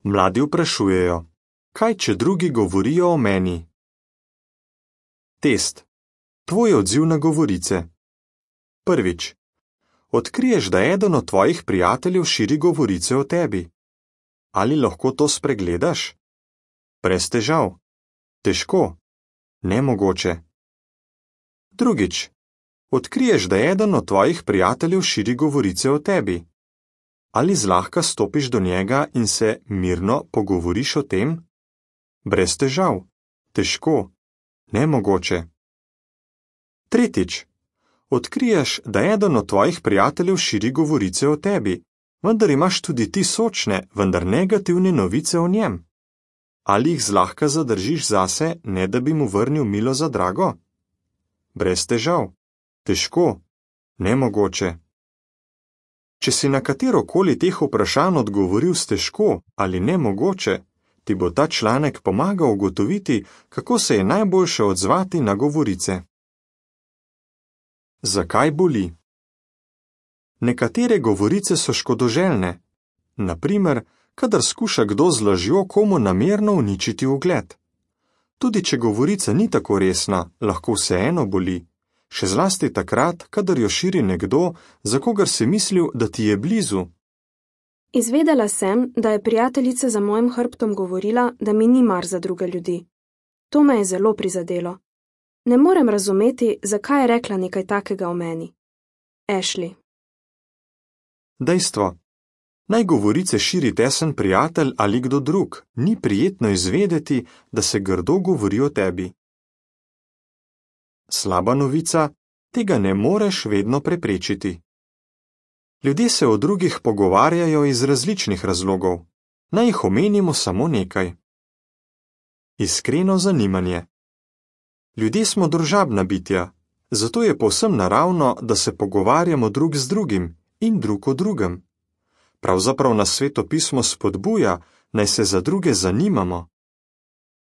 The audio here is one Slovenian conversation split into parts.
Mladi vprašujejo, kaj če drugi govorijo o meni? Test. Tvoj odziv na govorice. Prvič. Odkriješ, da eden od tvojih prijateljev širi govorice o tebi. Ali lahko to spregledaš? Brez težav. Težko. Nemogoče. Drugič. Odkriješ, da eden od tvojih prijateljev širi govorice o tebi. Ali zlahka stopiš do njega in se mirno pogovoriš o tem? Brez težav. Težko. Nemogoče. Tretjič. Odkriješ, da eden od tvojih prijateljev širi govorice o tebi, vendar imaš tudi ti sočne, vendar negativne novice o njem. Ali jih zlahka zadržiš zase, ne da bi mu vrnil milo za drago? Brez težav. Težko. Nemogoče. Če si na katerokoli teh vprašanj odgovoril s težko ali nemogoče, ti bo ta članek pomagal ugotoviti, kako se je najboljše odzvati na govorice. Zakaj boli? Nekatere govorice so škodoželjne, na primer, kadar skuša kdo z lažjo komu namerno uničiti ugled. Tudi če govorica ni tako resna, lahko vseeno boli, še zlasti takrat, kadar jo širi nekdo, za kogar si mislil, da ti je blizu. Izvedela sem, da je prijateljica za mojim hrbtom govorila, da mi ni mar za druge ljudi. To me je zelo prizadelo. Ne morem razumeti, zakaj je rekla nekaj takega o meni. Ashley. Dejstvo. Naj govorice širi tesen prijatelj ali kdo drug, ni prijetno izvedeti, da se grdo govori o tebi. Slaba novica, tega ne moreš vedno preprečiti. Ljudje se o drugih pogovarjajo iz različnih razlogov. Naj jih omenimo samo nekaj. Iskreno zanimanje. Ljudje smo družabna bitja, zato je povsem naravno, da se pogovarjamo drug z drugim in drug o drugem. Pravzaprav nas Svetopismo spodbuja, naj se za druge zanimamo.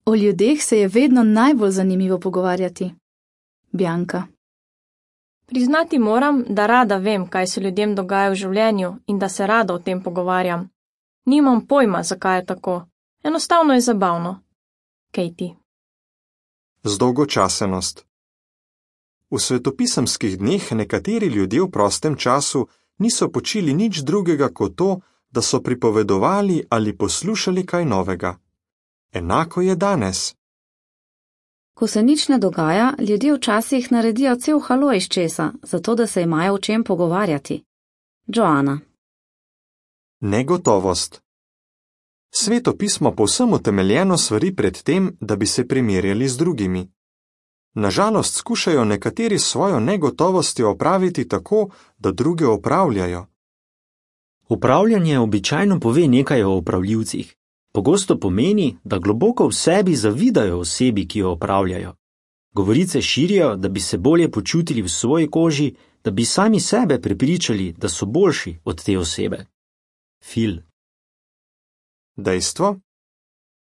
O ljudeh se je vedno najbolj zanimivo pogovarjati. Bianka. Priznati moram, da rada vem, kaj se ljudem dogaja v življenju in da se rada o tem pogovarjam. Nimam pojma, zakaj je tako. Enostavno je zabavno. Katie. Zdolgočasenost. V svetopisemskih dneh nekateri ljudje v prostem času niso počeli nič drugega kot to, da so pripovedovali ali poslušali kaj novega. Enako je danes. Ko se nič ne dogaja, ljudje včasih naredijo cel halo iz česa, zato da se imajo o čem pogovarjati. Joana. Negotovost. Svetopismo povsem utemeljeno svari pred tem, da bi se primerjali z drugimi. Nažalost skušajo nekateri svojo negotovostjo opraviti tako, da druge opravljajo. Upravljanje običajno pove nekaj o opravljivcih. Pogosto pomeni, da globoko v sebi zavidajo osebi, ki jo opravljajo. Govorice širijo, da bi se bolje počutili v svoji koži, da bi sami sebe prepričali, da so boljši od te osebe. Phil. Dejstvo?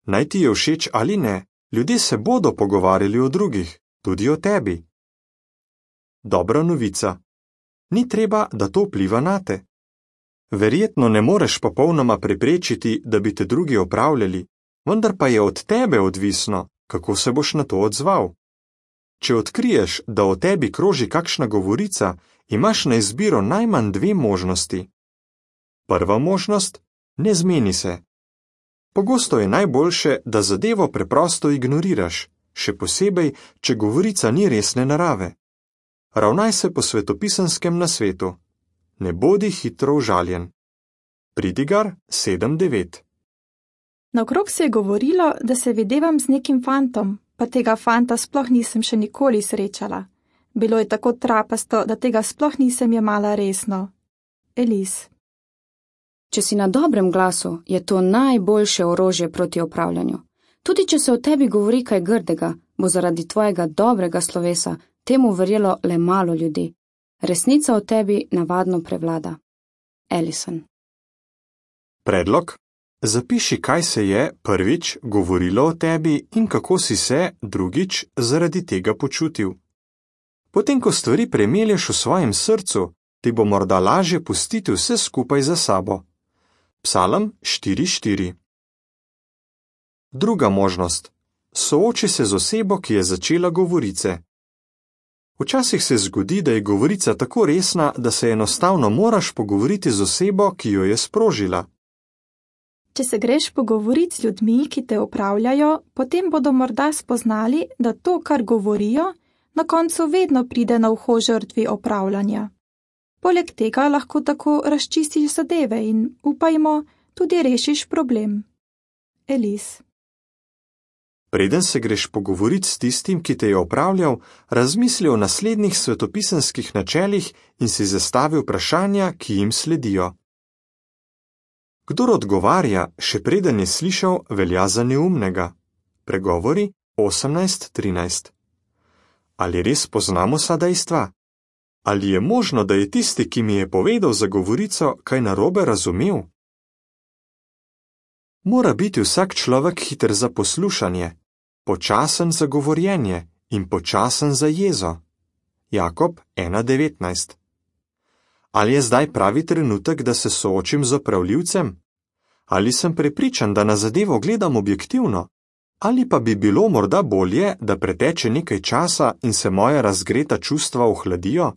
Naj ti je všeč ali ne, ljudje se bodo pogovarjali o drugih, tudi o tebi. Dobra novica. Ni treba, da to vpliva nate. Verjetno ne moreš popolnoma preprečiti, da bi te drugi opravljali, vendar pa je od tebe odvisno, kako se boš na to odzval. Če odkriješ, da o tebi kroži kakšna govorica, imaš na izbiro najmanj dve možnosti. Prva možnost, ne zmeni se. Pogosto je najboljše, da zadevo preprosto ignoriraš, še posebej, če govorica ni resne narave. Ravnaj se po svetopisenskem nasvetu. Ne bodi hitro užaljen. Pridigar 7:9. Naokrog se je govorilo, da se videvam z nekim fantom, pa tega fanta sploh nisem še nikoli srečala. Bilo je tako trapasto, da tega sploh nisem jemala resno. Elis. Če si na dobrem glasu, je to najboljše orožje proti opravljanju. Tudi če se o tebi govori kaj grdega, bo zaradi tvojega dobrega slovesa temu verjelo le malo ljudi. Resnica o tebi navadno prevlada. Alison. Predlog. Zapiši, kaj se je prvič govorilo o tebi in kako si se drugič zaradi tega počutil. Potem, ko stvari premelješ v svojem srcu, ti bo morda lažje pustiti vse skupaj za sabo. Psalm 4:4. Druga možnost. Sooči se z osebo, ki je začela govorice. Včasih se zgodi, da je govorica tako resna, da se enostavno moraš pogovoriti z osebo, ki jo je sprožila. Če se greš pogovoriti z ljudmi, ki te opravljajo, potem bodo morda spoznali, da to, kar govorijo, na koncu vedno pride na uho žrtvi opravljanja. Poleg tega lahko tako razčistiš zadeve in, upajmo, tudi rešiš problem. Elis. Preden se greš pogovoriti s tistim, ki te je opravljal, razmisli o naslednjih svetopisanskih načelih in si zastavi vprašanja, ki jim sledijo. Kdor odgovarja, še preden je slišal, velja za neumnega. Pregovori 18:13. Ali res poznamo vsa dejstva? Ali je možno, da je tisti, ki mi je povedal za govorico, kaj narobe razumel? Mora biti vsak človek hiter za poslušanje, počasen za govorjenje in počasen za jezo. Jakob 1:19. Ali je zdaj pravi trenutek, da se soočim z opravljivcem? Ali sem prepričan, da na zadevo gledam objektivno? Ali pa bi bilo morda bolje, da preteče nekaj časa in se moja razgreta čustva ohladijo?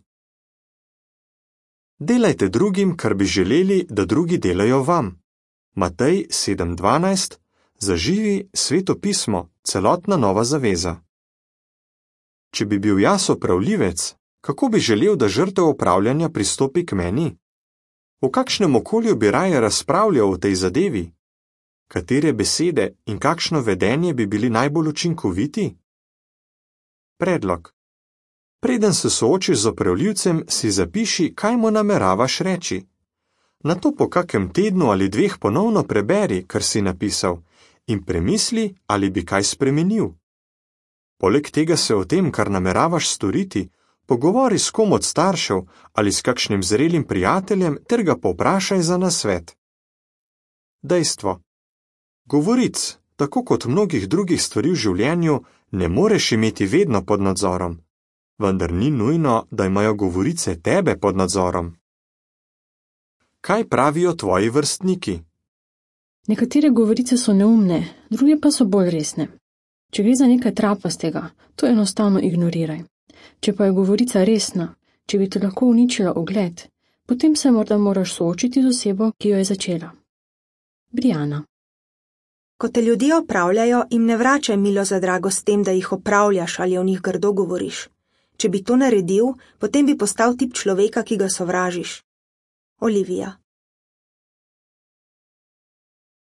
Delajte drugim, kar bi želeli, da drugi delajo vam. Matej 7:12, zaživi Sveto pismo, celotna Nova zaveza. Če bi bil jaz opravljivec, kako bi želel, da žrtev opravljanja pristopi k meni? V kakšnem okolju bi raje razpravljal o tej zadevi? Katere besede in kakšno vedenje bi bili najbolj učinkoviti? Predlog. Preden se soočiš z opravljivcem, si zapiši, kaj mu nameravaš reči. Nato po kakem tednu ali dveh ponovno preberi, kar si napisal, in premisli, ali bi kaj spremenil. Poleg tega se o tem, kar nameravaš storiti, pogovori s kom od staršev ali s kakšnim zrelim prijateljem ter ga povprašaj za nasvet. Dejstvo. Govoric, tako kot mnogih drugih stvari v življenju, ne moreš imeti vedno pod nadzorom. Vendar ni nujno, da imajo govorice tebe pod nadzorom. Kaj pravijo tvoji vrstniki? Nekatere govorice so neumne, druge pa so bolj resne. Če gre za nekaj trapastega, to enostavno ignoriraj. Če pa je govorica resna, če bi te lahko uničila ugled, potem se morda moraš soočiti z osebo, ki jo je začela. Briana. Ko te ljudje opravljajo, jim ne vračaj milo za drago s tem, da jih opravljaš ali o njih grdo govoriš. Če bi to naredil, potem bi postal tip človeka, ki ga sovražiš. Olivija.